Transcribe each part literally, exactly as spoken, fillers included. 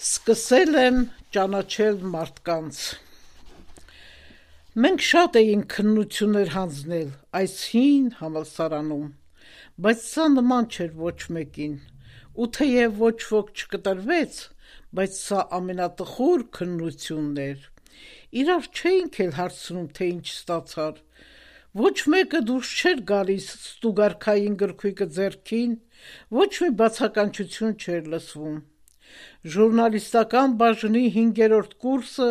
Սկսել եմ ճանաչել մարդկանց։ Մենք շատ էինք քննություններ հանձնել այս հին համալսարանում, բայց սա նման չէր ոչ մեկին, ու թեև ոչ ոք չկտրվեց, բայց սա ամենատխուր քննությունն էր։ Իրար չէինք էլ հարցնում, թե ինչ ստացար, ոչ մեկը դուրս չէր գալիս ստուգարքային գրքույկը ձեռքին, ոչ մի բացականչություն չէր լսվում։ Ժուրնալիստական բաժնի հինգերորդ կուրսը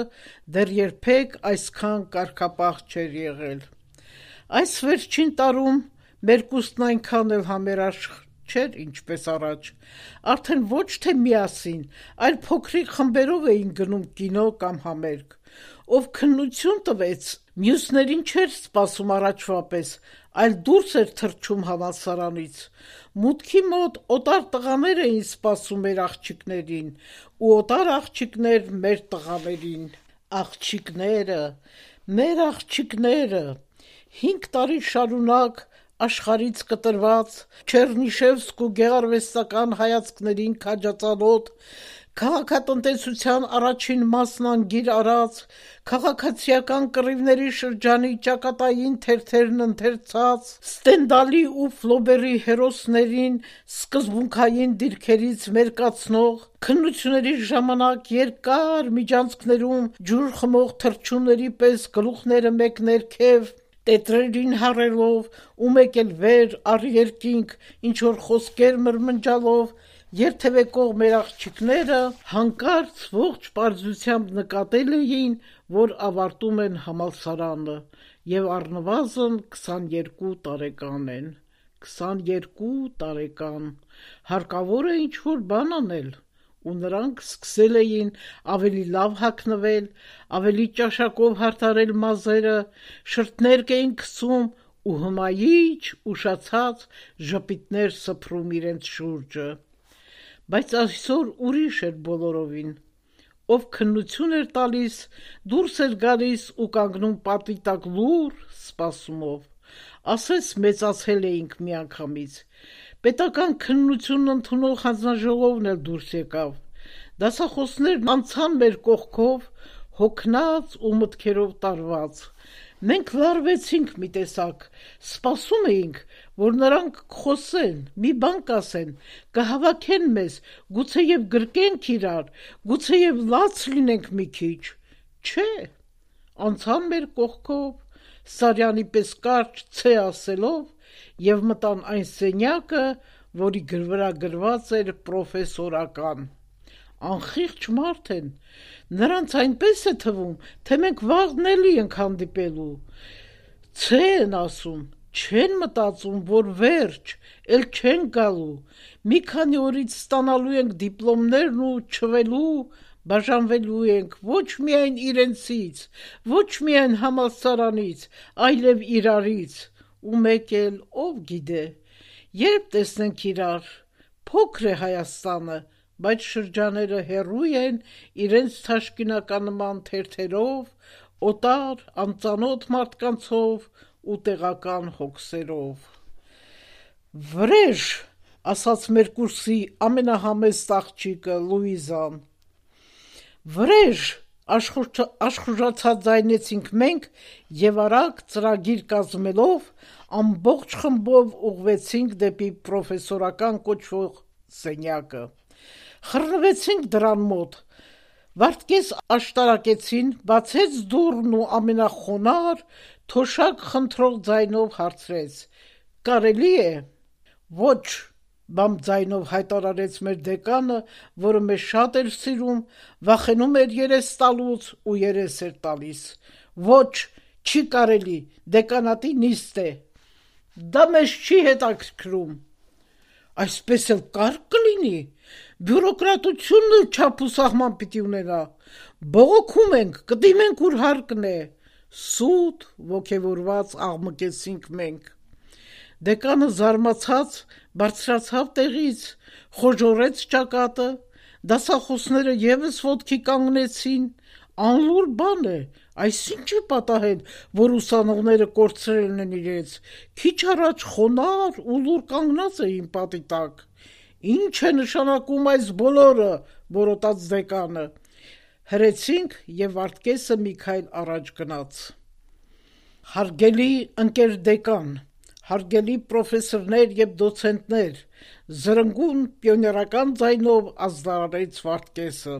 դեռ երբեք այսքան կարգապահ չէր եղել։ Այս վերջին տարում մեր կուրսն այնքան էլ համերաշխ չէր, ինչպես առաջ, արդեն ոչ թե միասին, այլ փոքրիկ խմբերով էին գնում կինո կամ համերգ։ Ով քննություն տվեց, մյուսներին չէր սպասում առաջվա պես, այլ դուրս էր թռչում համալսարանից։ Մուտքի մոտ օտար տղաներ էին սպասում մեր աղջիկներին, ու օտար աղջիկներ մեր տղաներին։ Աղջիկները, մեր աղջիկները, հինգ տարի շարունակ աշխարհից կտրված, Չեռնիշևսկ ու գեղարվեստական հայացքներին քաջածանոթ, քաղաքատնտեսության առաջին մասն անգիր արած, քաղաքացիական կռիվների շրջանի ճակատային թերթերն ընթերցած, Ստենդալի ու Ֆլոբերի հերոսներին սկզբունքային դիրքերից մերկացնող, քննությունների ժամանակ երկար միջանցքներում ջուր խմող թռչունների պես գլուխները մեկ ներքև, տետրերին հառելով ու մեկ էլ վեր առ երկինք ինչ-որ խոսքեր մրմնջալով երթևեկող մեր աղջիկները հանկարծ ողջ պարզությամբ նկատել էին, որ ավարտում են համալսարանը և առնվազն քսաներկու տարեկան են։ Քսաներկու տարեկան, հարկավոր է ինչ-որ բան անել, ու նրանք սկսել էին ավելի լավ հագնվել, ավելի ճաշակով հարդարել մազերը, շրթներկ էին քսում ու հմայիչ, ուշացած ժպիտներ սփռում իրենց շուրջը։ Բայց այսօր ուրիշ էր բոլորովին։ Ով քննություն էր տալիս, դուրս էր գալիս ու կանգնում պատի տակ լուռ սպասումով։ Ասես մեծացել էինք միանգամից։ Պետական քննությունն ընդունող հանձնաժողովն էլ դուրս եկավ։ Դասախոսներն անցան մեր կողքով, հոգնած ու մտքերով տարված։ Մենք լարվեցինք մի տեսակ, սպասում էինք, որ նրանք կխոսեն, մի բան կասեն, կհավաքեն մեզ, գուցեև գրկենք իրար, գուցեև լաց լինենք մի քիչ։ Չէ, անցան մեր կողքով, Սարյանի պես կարճ «ցե» ասելով և մտան այն սենյակը, որի վրա գրված էր «պրոֆեսորական»։ Անխիղճ մարդ են, նրանց այնպես է թվում, թե մենք վաղն էլի ենք հանդիպելու։ «Ցե» են ասում, չեն մտածում, որ վերջ, էլ չեն գալու, մի քանի օրից ստանալու ենք դիպլոմներն ու չվելու, բաժանվելու ենք ոչ միայն իրենցից, ոչ միայն համալսարանից, այլև իրարից, ու մեկ էլ ով գիտե, երբ տեսնենք իրար, փոքր է Հայաստանը, բայց շրջաները հեռու են իրենց թաշկինականման թերթերով, օտար, անծանոթ մարդկանցով ու տեղական հոգսերով։ «Վրեժ», ասաց մեր կուրսի ամենահամեստ աղջիկը Լուիզան։ «Վրեժ», աշխուժացած ձայնեցինք մենք և արագ ծրագիր կազմելով ամբողջ խմբով ուղղվեցինք դեպի «պրոֆեսորական» կոչվող սենյակը։ Խռնվեցինք դռան մոտ, վայրկես աշտարակեցին, բացեց դուռն ու ամենախոնարհ, թոշակ խնդրող ձայնով հարցրեց. «Կարելի է»։ «Ոչ», բամբ ձայնով հայտարարեց մեր դեկանը, որը մեզ շատ էր սիրում, վախենում էր երես տալուց ու երես էր տալիս։ «Ոչ, չի կարելի, դեկանատի նիստ է»։ «Դա մեզ չի հետաքրքրում»։ «Այսպես էլ կարգ կլինի, բյուրոկրատությունն էլ չափ ու սահման պիտի ունենա, բողոքում ենք, կդիմենք ուր հարկն է»։ Սուտ ոգևորված աղմկեցինք մենք։ Դեկանը զարմացած բարձրացավ տեղից, խոժոռեց ճակատը, դասախոսները ևս ոտքի կանգնեցին։ Անլուր բան է, այսինչ է պատահել, որ ուսանողները կորցրել են իրենց, քիչ առաջ խոնարհ ու լուռ կանգնած էին պատի տակ։ «Ինչ է նշանակում այս բոլորը, որոտաց դեկանը։ Հրեցինք եւ Վարդգեսը մի քայլ առաջ գնաց։ Հարգելի ընկեր դեկան, հարգելի պրոֆեսորներ եւ դոցենտներ, զրնգուն պիոներական ձայնով ազդարարեց Վարդգեսը։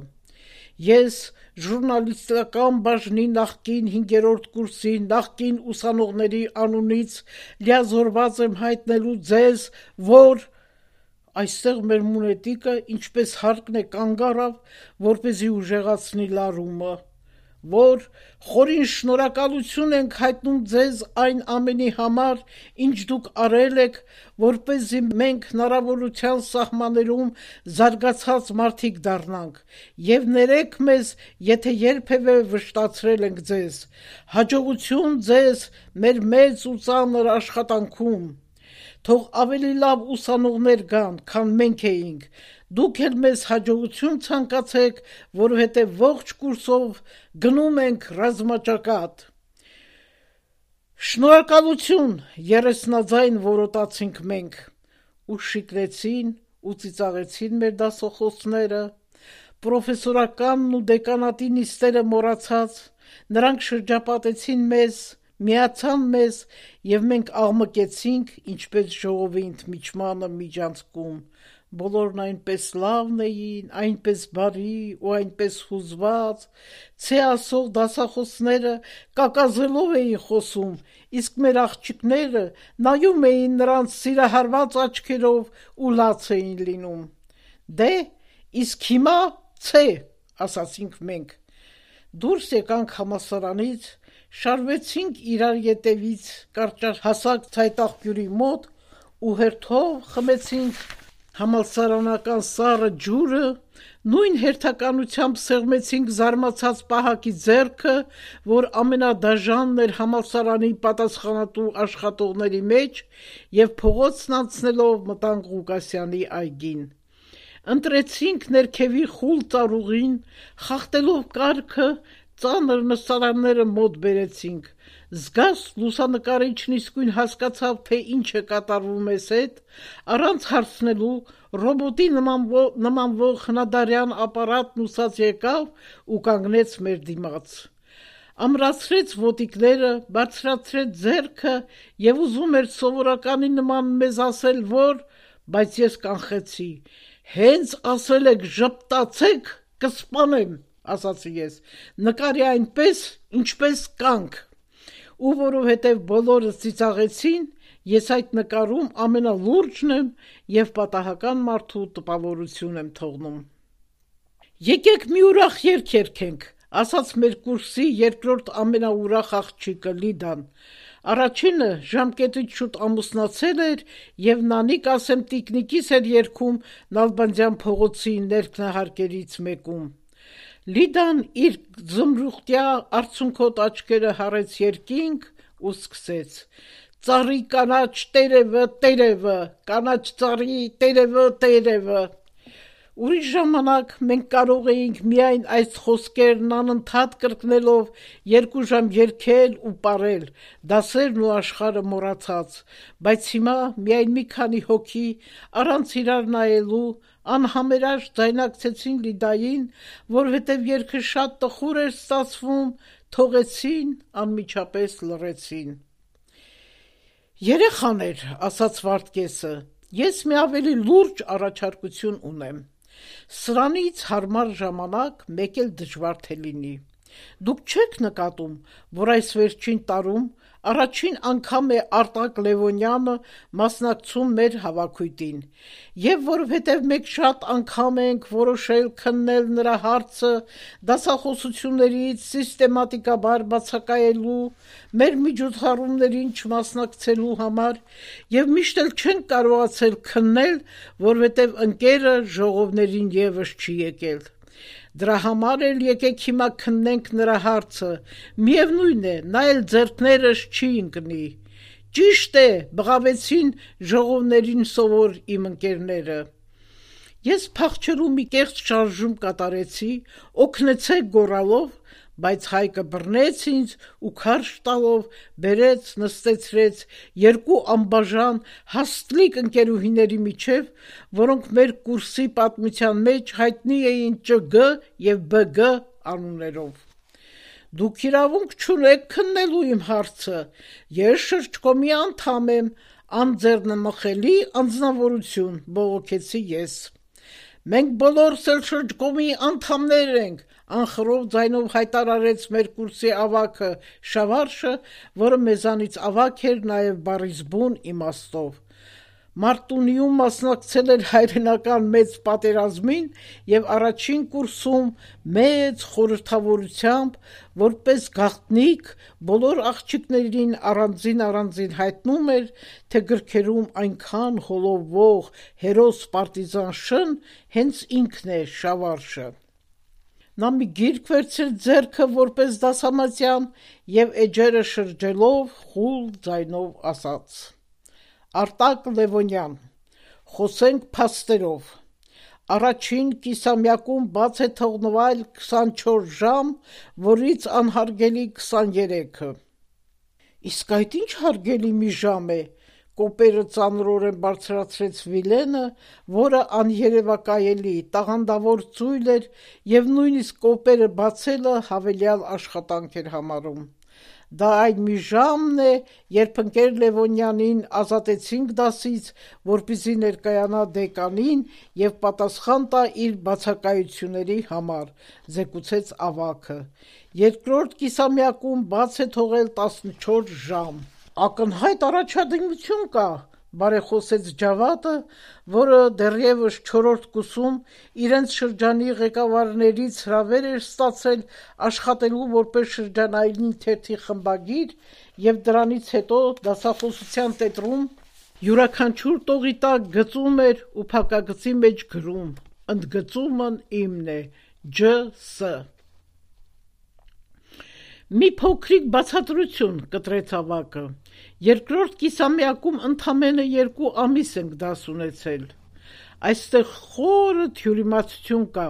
Ես ժուրնալիստական բաժնի նախկին հինգերորդ կուրսի նախկին ուսանողների անունից լիազորված եմ հայտնելու ձեզ, որ այստեղ մեր մունետիկը ինչպես հարկն է կանգ առավ, որպեսզի ուժեղացնի լարումը, որ խորին շնորհակալություն ենք հայտնում ձեզ այն ամենի համար, ինչ դուք արել եք, որպեսզի մենք հնարավորության սահմաններում զարգացած մարդիկ դառնանք, եւ ներեք մեզ, եթե երբևէ վշտացրել ենք ձեզ, հաջողություն ձեզ մեր մեծ ու ծանր աշխատանքում, թող ավելի լավ ուսանողներ գան, քան մենք էինք, դուք էլ մեզ հաջողություն ցանկացեք, որովհետև ողջ կուրսով գնում ենք ռազմաճակատ։ Շնորհակալություն, երեսնաձայն որոտացինք մենք, ու շիկրեցին ու ծիծաղեցին մեր դասախոսները, պրոֆեսորականն ու դեկանատի նիստերը մոռացած, նրանք շրջապատեցին մեզ, միացան մեզ եւ մենք աղմկեցինք, ինչպես ժողովի ընդմիջմանը միջանցքում, բոլորն այնպես լավն էին, այնպես բարի ու այնպես հուզված, ցե ասող դասախոսները կակազելով էին խոսում, իսկ մեր աղջիկները նայում էին նրանց սիրահարված աչքերով ու լաց էին լինում։ Դե, իսկ հիմա ցե, ասացինք մենք։ Դուրս եկանք համալսարանից, շարվեցինք իրար ետևից կարճահասակ ցայտաղբյուրի մոտ ու հերթով խմեցինք համալսարանական սառը ջուրը, նույն հերթականությամբ սեղմեցինք զարմացած պահակի ձեռքը, որ ամենադաժանն էր համալսարանի պատասխանատու աշխատողների մեջ, եւ փողոցն անցնելով մտանք Ղուկասյանի այգին։ Ընտրեցինք ներքևի խուլ ծառուղին, խախտելով կարգը, ծանր նստարանները մոտ բերեցինք, զգաստ լուսանկարիչն իսկույն հասկացավ, թե ինչ է կատարվում մեզ հետ, առանց հարցնելու ռոբոտի նմանվող հնադարյան ապարատն ուսած եկավ ու կանգնեց մեր դիմաց։ Ամրացրեց ոտիկները, բարձրացրեց ձեռքը եւ ուզում էր սովորականի նման մեզ ասել, որ, բայց ես կանխեցի, հենց ասել եք ժպտացեք, կսպանեմ, ասացի ես, նկարի այնպես, ինչպես կանք, ու որովհետև բոլորը ծիծաղեցին, ես այդ նկարում ամենալուրջն եմ և պատահական մարդու տպավորություն եմ թողնում։ Եկեք մի ուրախ երգ երգենք, ասաց մեր կուրսի երկրորդ ամենաուրախ աղջիկը Լիդան, առաջինը ժամկետից շուտ ամուսնացել էր և նանիկ ասեմ տիկնիկիս էր երգում Նալբանդյան փողոցի ներքնահարկերից մեկում։ Լիդան իր զմրուխտյա արցունքոտ աչքերը հառեց երկինք ու սկսեց. Ծառի կանաչ տերևը, տերևը, կանաչ ծառի տերևը, տերևը։ Ուրիշ ժամանակ մենք կարող էինք միայն այս խոսքերն անընդհատ կրկնելով երկու ժամ երգել ու պարել, դասերն ու աշխարհը մոռացած, բայց հիմա միայն մի քանի հոգի առանց իրար նայելու անհամերաշտ ձայնակցեցին Լիդային, որովհետև երգը շատ տխուր էր ստացվում, թողեցին, անմիջապես լռեցին։ Երեխաներ, ասաց Վարդգեսը, ես մի ավելի լուրջ առաջարկություն ունեմ։ Սրանից հարմար ժամանակ մեկ էլ դժվար թե լինի։ Դուք չեք նկատում, որ այս վերջին տարում առաջին անգամ է Արտակ Լևոնյանը մասնակցում մեր հավաքույթին, եւ որովհետեւ մենք շատ անգամ ենք որոշել քննել նրա հարցը դասախոսություններից սիստեմատիկաբար բացակայելու, մեր միջոցառումներին չմասնակցելու համար, եւ միշտ էլ չենք կարողացել քննել, որովհետեւ ընկերը ժողովներին եւս չի եկել։ Դրա համար էլ եկեք հիմա քննենք նրա հարցը, միևնույն է, նա էլ ձեռքներս չի ընկնի։ Ճիշտ է, բղավեցին ժողովներին սովոր իմ ընկերները։ Ես փախչելու մի կեղծ շարժում կատարեցի, օգնեցեք գոռալով, բայց Հայկը բռնեց ինձ ու քարշ տալով բերեց, նստեցրեց երկու անբաժան հաստլիկ ընկերուհիների միջև, որոնք մեր կուրսի պատմության մեջ հայտնի էին ՃԳ եւ ԲԳ անուններով։ Դուք իրավունք չունեք քննելու իմ հարցը, ես շրջկոմի անդամ եմ, անձեռնմխելի անձնավորություն, բողոքեցի ես։ Մենք բոլորս էլ շրջկոմի անդամներ ենք, անխռով ձայնով հայտարարեց մեր կուրսի ավագը Շավարշը, որը մեզանից ավագ էր նաև բառից բուն իմաստով։ Մարտունիում մասնակցել էր հայրենական մեծ պատերազմին և առաջին կուրսում մեծ խորհրդավորությամբ, որպես գաղտնիք բոլոր աղջիկներին առանձին առանձին հայտնում էր, թե գրքերում այնքան հոլովող հերոս պարտիզան շն հենց ինքն է Շավարշը։ Նա մի գիրք վերցրեց ձեռքը որպես դասամատյան և էջերը շրջելով խուլ ձայնով ասաց. Արտակ Լևոնյան, խոսենք փաստերով, առաջին կիսամյակում բաց է թողնվել քսանչորս ժամ, որից անհարգելի քսաներեքը։ Իսկ այդ ինչ հարգելի մի ժամ է, կոպերը ծանրորեն բարձրացրեց Վիլենը, որը աներևակայելի, տաղանդավոր ծույլ էր և նույնիսկ կոպերը բացելը հավելյալ աշխատանք էր համարում։ Դա այն մի ժամն է, երբ ընկեր Լևոնյանին ազատեցինք դասից, որպեսզի ներկայանա դեկանին և պատասխան տա իր բացակայությունների համար, զեկուցեց ավագը։ Երկրորդ կիսամյակում բաց է թողել տասնչորս ժամ։ Ակնհայտ առաջադիմություն կա, բարեխոսեց Ջավադը, որը դեռևս չորրորդ կուրսում իրենց շրջանի ղեկավարներից հրավեր էր ստացել աշխատելու որպես շրջանային թերթի խմբագիր և դրանից հետո դասախոսության տետրում յուրաքանչյուր տողի տակ գծում էր ու փակագծի մեջ գրում. ընդգծումն իմն է, Ջ Ս Մի փոքրիկ բացատրություն, կտրեց ավագը, երկրորդ կիսամյակում ընդամենը երկու ամիս ենք դաս ունեցել։ Այստեղ խորը թյուրիմացություն կա,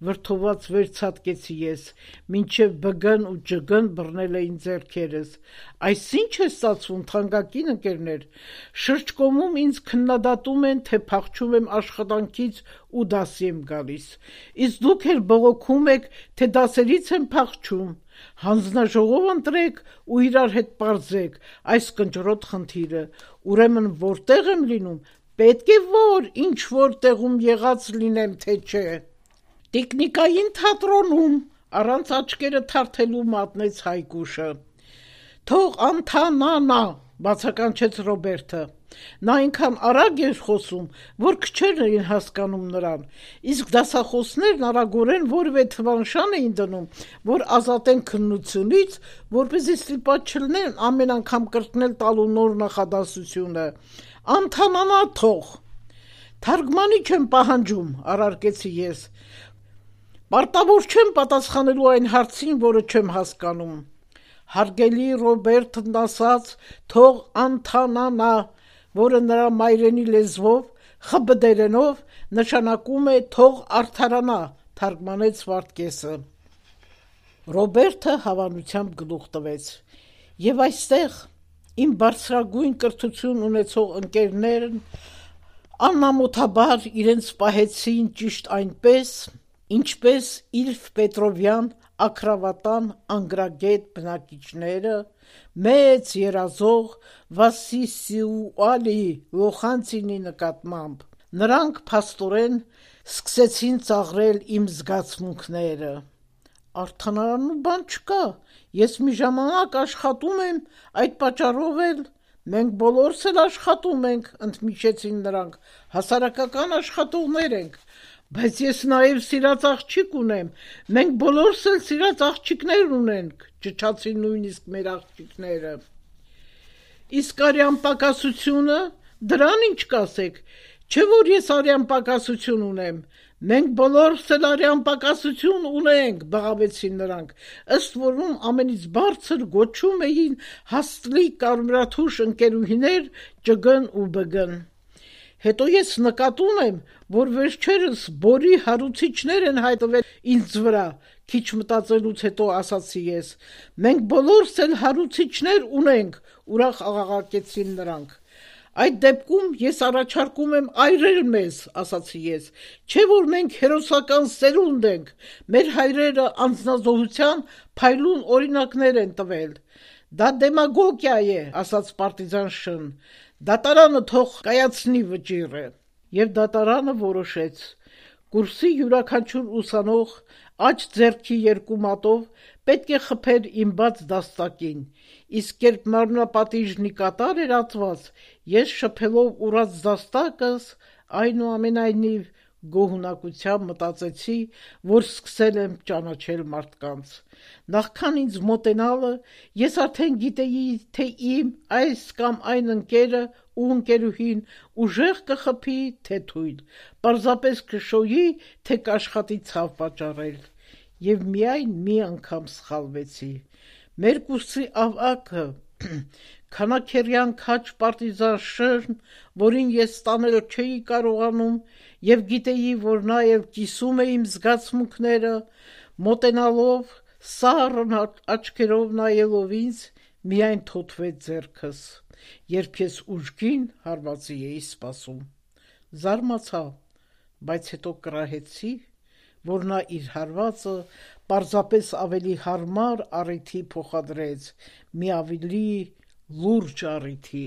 վրդոված վերցատկեցի ես, մինչև ԲԳ-ն ու ՃԳ-ն բռնել էին ձեռքերս։ Այս ինչ է ստացվում, թանկագին ընկերներ, շրջկոմում ինձ քննադատում են, թե փախչում եմ աշխատանքից ու դասի եմ գալիս, իսկ դուք էլ բողոքում եք, թե դասերից եմ փախչում։ Հանձնաժողով ընտրեք ու իրար հետ պարզեք այս կնճռոտ խնդիրը, ուրեմն որտեղ եմ լինում, պետք է որ ինչ որ տեղում եղած լինեմ, թե չէ։ Տիկնիկային թատրոնում, առանց աչքերը թարթելու մատնեց Հայկուշը։ Թող անթանանա, բացականչեց Ռոբերտը։ Նա այնքան արագ էր խոսում, որ քչերն էին հասկանում նրան, իսկ դասախոսներն արագորեն որևէ թվանշան էին դնում, որ ազատեն քննությունից, որպեսզի ստիպված չլինեն ամեն անգամ կրկնել տալու նոր նախադասությունը։ Անթանանա թող։ Թարգմանիչ եմ պահանջում, առարկեցի ես։ Պարտավոր չեմ պատասխանելու այն հարցին, որը չեմ հասկանում։ Հարգելի Ռոբերտն ասաց, թող անթանանա, որը նրա մայրենի լեզվով, խբդերենով նշանակում է թող արդարանա, թարգմանեց Վարդգեսը։ Ռոբերտը հավանությամբ գլուխ տվեց։ Եվ այստեղ իմ բարձրագույն կրթություն ունեցող ընկերներն անամոթաբար իրենց պահեցին ճիշտ այնպես, ինչպես Իլֆ Պետրովյան աքրավատան անգրագետ բնակիչները, մեծ երազող Վասիսիուալի Լոխանցինի նկատմամբ։ Նրանք փաստորեն սկսեցին ծաղրել իմ զգացմունքները։ Արդանանալու բան չկա, ես մի ժամանակ աշխատում եմ, այդ պատճառով էլ մենք բոլորս էլ աշխատում ենք, ընդմիջեցին նրանք, հասարակական աշխատողներ ենք, բայց ես նաև սիրած աղջիկ ունեմ, մենք բոլորս էլ սիրած աղջիկներ ունենք, ճչացին նույնիսկ մեր աղջիկները։ Իսկ արյան պակասությունը, դրան ինչ կասեք, չէ որ ես արյան պակասություն ունեմ, մենք բոլորս էլ արյան պակասություն ունենք, բղավեցին նրանք, ըստ որում ամենից բարձր գոչում էին հաստլիկ կարմրաթուշ ընկերուհիներ ՃԳ-ն ու ԲԳ-ն։ Հետո ես նկատում եմ, որ վերջերս բորի հարուցիչներ են հայտնվել ինձ վրա, քիչ մտածելուց հետո ասացի ես, մենք բոլորս էլ հարուցիչներ ունենք, ուրախ աղաղակեցին նրանք։ Այդ դեպքում ես առաջարկում եմ այրել մեզ, ասացի ես, չէ որ մենք հերոսական սերունդ ենք, մեր հայրերը անձնազոհության փայլուն օրինակներ են տվել։ Դա դեմագոգիա է, ասաց պարտիզան Շ-ն, դատարանը թող կայացնի վճիռը։ Եվ դատարանը որոշեց, կուրսի յուրաքանչյուր ուսանող աջ ձեռքի երկու մատով պետք է խփեր իմ բաց դաստակին, իսկ երբ մարմնապատիժն ի կատար էր ածված, ես շփելով ուռած դաստակս, այնուամենայնիվ գոհունակությամբ մտածեցի, որ սկսել եմ ճանաչել մարդկանց։ Նախքան ինձ մոտենալը, ես արդեն գիտեի, թե իմ այս կամ այն ընկերը ու ընկերուհին ուժեղ կխփի, թե թույլ, պարզապես կշոյի, թե կաշխատի ցավ պատճառել։ Եվ միայն մի անգամ սխալվեցի։ Մեր կուրսի ավագը, քանաքերյան քաջ պարտիզան Շ-ն, որին ես ստանել չէի կարողանում և գիտեի, որ նա էլ կիսում է իմ զգացմունքները, մոտենալով, սառն աչքերով նայելով ինձ, միայն թոթվեց ձեռքս, երբ ես ուժգին հարվածի էի սպասում։ Զարմացա, բայց հետո կռահեցի, որ նա իր հարվածը պարզապես ավելի հարմար առիթի փոխադրեց, մի ավելի լուրջ առիթի։